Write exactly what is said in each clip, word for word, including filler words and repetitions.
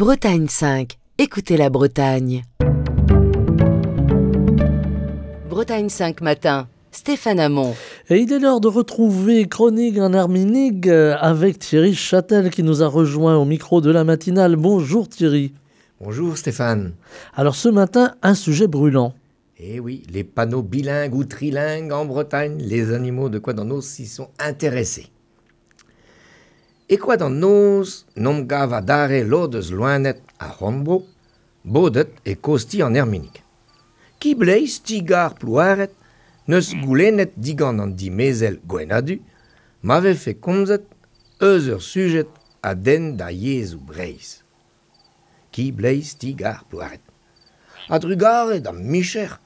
Bretagne cinq, écoutez la Bretagne. Bretagne cinq matin, Stéphane Hamon. Et il est l'heure de retrouver Chronique en Herminig avec Thierry Châtel qui nous a rejoint au micro de la matinale. Bonjour Thierry. Bonjour Stéphane. Alors ce matin, un sujet brûlant. Eh oui, les panneaux bilingues ou trilingues en Bretagne, les animaux de Koad an Noz s'y sont intéressés. E Koad an Noz, 'n om gav adarre lod eus loened ar c'horn-bro, bodet e kozh-ti an Erminig. Ki-bleiz ti-gar Plouared 'neus goulennet digant an dimezell Gwenn-ha-Du ma vefe komzet eus ur sujed a denn da yezhoù Breizh. Ki-bleiz ti-gar Plouared. A-drugarez d'am micher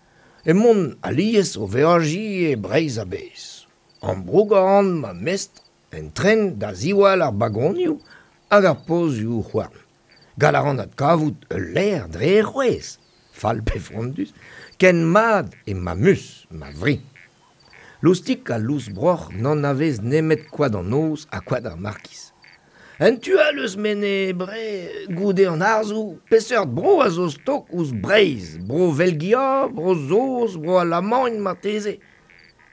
emaon alies o veajiñ e Breizh a-bezh. Ambroug a ran ma mestr en tren da ziwall ar bagonioù hag ar pozioù houarn. Gall a ran adkavout ul lec'h dre e c'hwezh, fall pe frondus, ken mat eo ma mus, ma fri. Loustik ha Lousbroc'h n'anavez nemet Koad an Noz ha Koad ar Markiz. En tu all eus Menez-Bre, goude an harzoù, peseurt bro a zo stok ouzh Breizh, bro Velgia, bro Saoz, bro Alamagn marteze.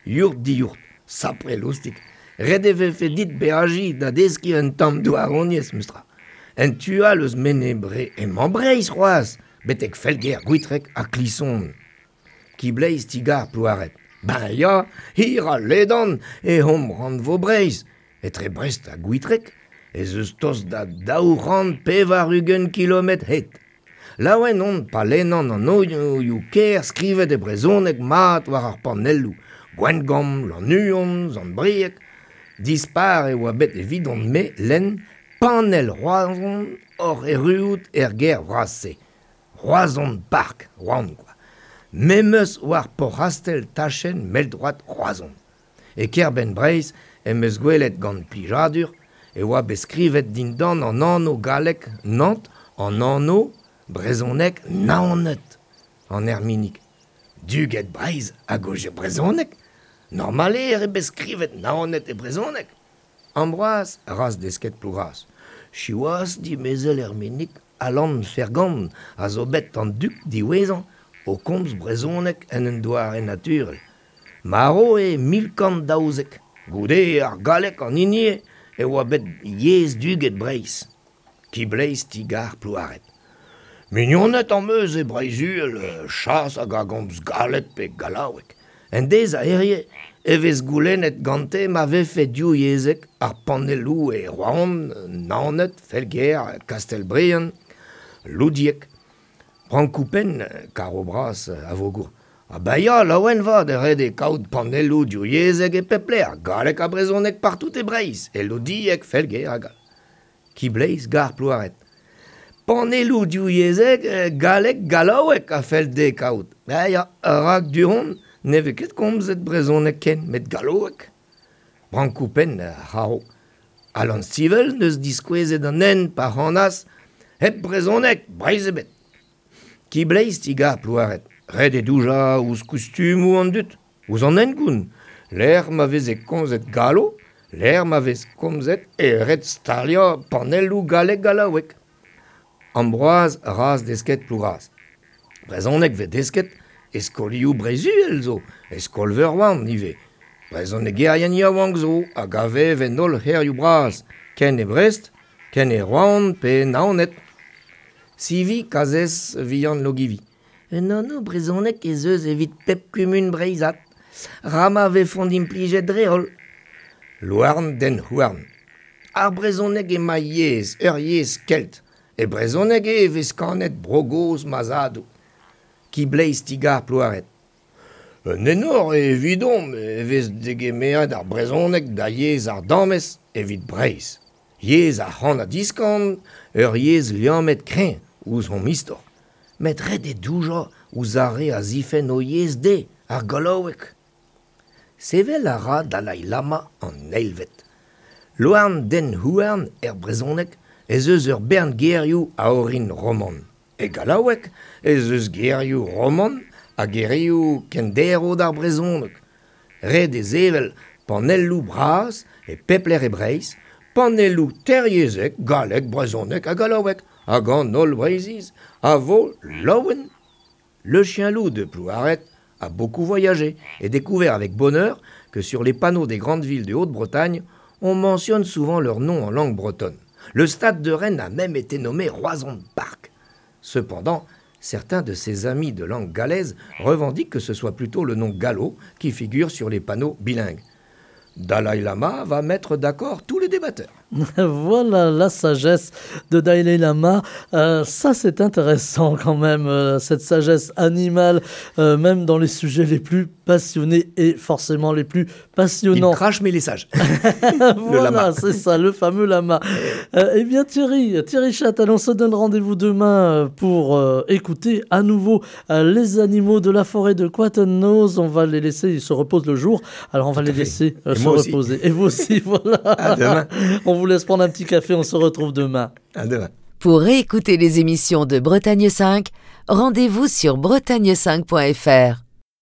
Yourt diourt, sapre Loustik, ret e vefe dit beajiñ da deskiñ un tamm douaroniezh memestra. En tu all eus Menez-Bre emañ Breizh c'hoazh, betek Felger, Gwitreg ha Klison. Ki-bleiz ti-gar Plouared. Ben ya, hir ha ledan eo hom rannvro Breizh. Etre Brest ha Gwitreg ez eus tost da daou c'hant pevar-ugent kilometr hed. Laouen on pa lennan an anvioù kêr skrivet e brezhoneg mat war ar panelloù. Gwengamp, Lannuon, Sant-Brieg. Dispar e oa bet evidon-me lenn panell Roazhon oc'h erruout er gêr vras-se. Roazhon Park, Roan kwa. Memes war Porc'hastell tachenn mell-droad Roazhon. E kêr-benn Breizh em eus gwelet gant plijadur e oa bet skrivet dindan an anv gallek Nantes an anv brezhonek Naoned an Erminig. Duged Breizh a gaoze brezhoneg. Normal eo bet skrivet Naoned e brezhoneg. Ambroaz, razh desket Plougras. Siwazh dimezell Erminig Alan Fergant a zo bet an dug diwezhañ o komz brezhoneg en un doare naturel. Marv eo mil kant daouzek. Goude ar galleg an hini eo e oa bet yezh duged Breizh. Ki-bleiz ti-gar Plouared. Mignoned am eus e Breizh-Uhel, chas hag a gomz galleg pe gallaoueg. En deiz a hirie e vez goulennet gante ma vefe divyezhek ar panelloù e Roazhon, Naoned, Felger, Kastell-Briant, Loudieg, Brankoù-Penn, Karo-Bras, Avogour. Ha ben ya, laouen 'vat e ret eo kaout panelloù divyezhek e pep lec'h, galleg ha brezhoneg partout e Breizh, e Loudieg, Felger hag all. Ki-bleiz gar Plouared. Panelloù divyezhek, galleg, gallaoueg a fell dezhe kaout. Ben ya, rak du-hont ne vez ket komzet brezhoneg ken, met gallaoueg. Brankoù-Penn, ar c'haro. Alan Stivell 'neus diskouezet an hent pa c'hanas hep brezhoneg, Breizh ebet. Ki-bleiz ti-gar Plouared. Ret eo doujañ ouzh kustumoù an dud, ouzh an hengoun. Lec'h ma veze komzet gallo, lec'h ma vez komzet e ret staliañ panelloù galleg-gallaoueg. Ambroaz razh desket Plougras. Brezhoneg 'vez desket e skolioù Breizh-Uhel zo, e skol-veur Roazhon ivez. Brezhonegerien yaouank zo hag a vev en holl c'hêrioù bras, ken e Brest, ken e Roazhon pe Naoned. Sivi kazhez vihan Logivi. Un anv brezhonek ez eus evit pep kumun breizhat, ra ma vefont implijet dre-holl. Louarn den houarn. Ar brezhoneg eo ma yezh, ur yezh kelt. E brezhoneg eo e vez kanet bro gozh ma zadoù. Ki-bleiz ti-gar Plouared. Un enor eo evidomp e vez degemeret ar brezhoneg da yezh ardamez evit Breizh. Yezh ar c'han-ha-diskan, ur yezh liammet kreñv ouzh hon istor. Met ret eo doujañ ouzh ar re a zifenn o yezh dezhe, ar gallaoueg. Sevel a ra Dalai Lama an eilvet. Louarn den houarn er brezhoneg ez eus ur bern gerioù a orin roman. E gallaoueg ez eus gerioù roman ha gerioù kenderv d'ar brezhoneg. Ret eo sevel panelloù bras e pep lec'h e Breizh, panelloù teiryezhek, galleg, brezhoneg ha gallaoueg. Hag an holl Breizhiz a vo laouen. Le chien-loup de Plouaret a beaucoup voyagé et découvert avec bonheur que sur les panneaux des grandes villes de Haute-Bretagne, on mentionne souvent leur nom en langue bretonne. Le stade de Rennes a même été nommé Roazhon Park. Cependant, certains de ses amis de langue gallaise revendiquent que ce soit plutôt le nom gallo qui figure sur les panneaux bilingues. Dalai Lama va mettre d'accord tous les débatteurs. Voilà la sagesse de Dalai Lama. Euh, ça, c'est intéressant quand même, euh, cette sagesse animale, euh, même dans les sujets les plus passionnés et forcément les plus passionnants. Il crache, mais il est sage. Voilà, c'est ça, le fameux lama. Euh, eh bien, Thierry, Thierry Châtel, on se donne rendez-vous demain pour euh, écouter à nouveau euh, les animaux de la forêt de Koat An Noz. On va les laisser, ils se reposent le jour, alors on va Tout à les fait. laisser euh, Et se moi aussi. reposer. Et vous aussi, voilà. À demain. On vous laisse prendre un petit café, on se retrouve demain. À demain. Pour réécouter les émissions de Bretagne cinq, rendez-vous sur bretagne cinq point F R.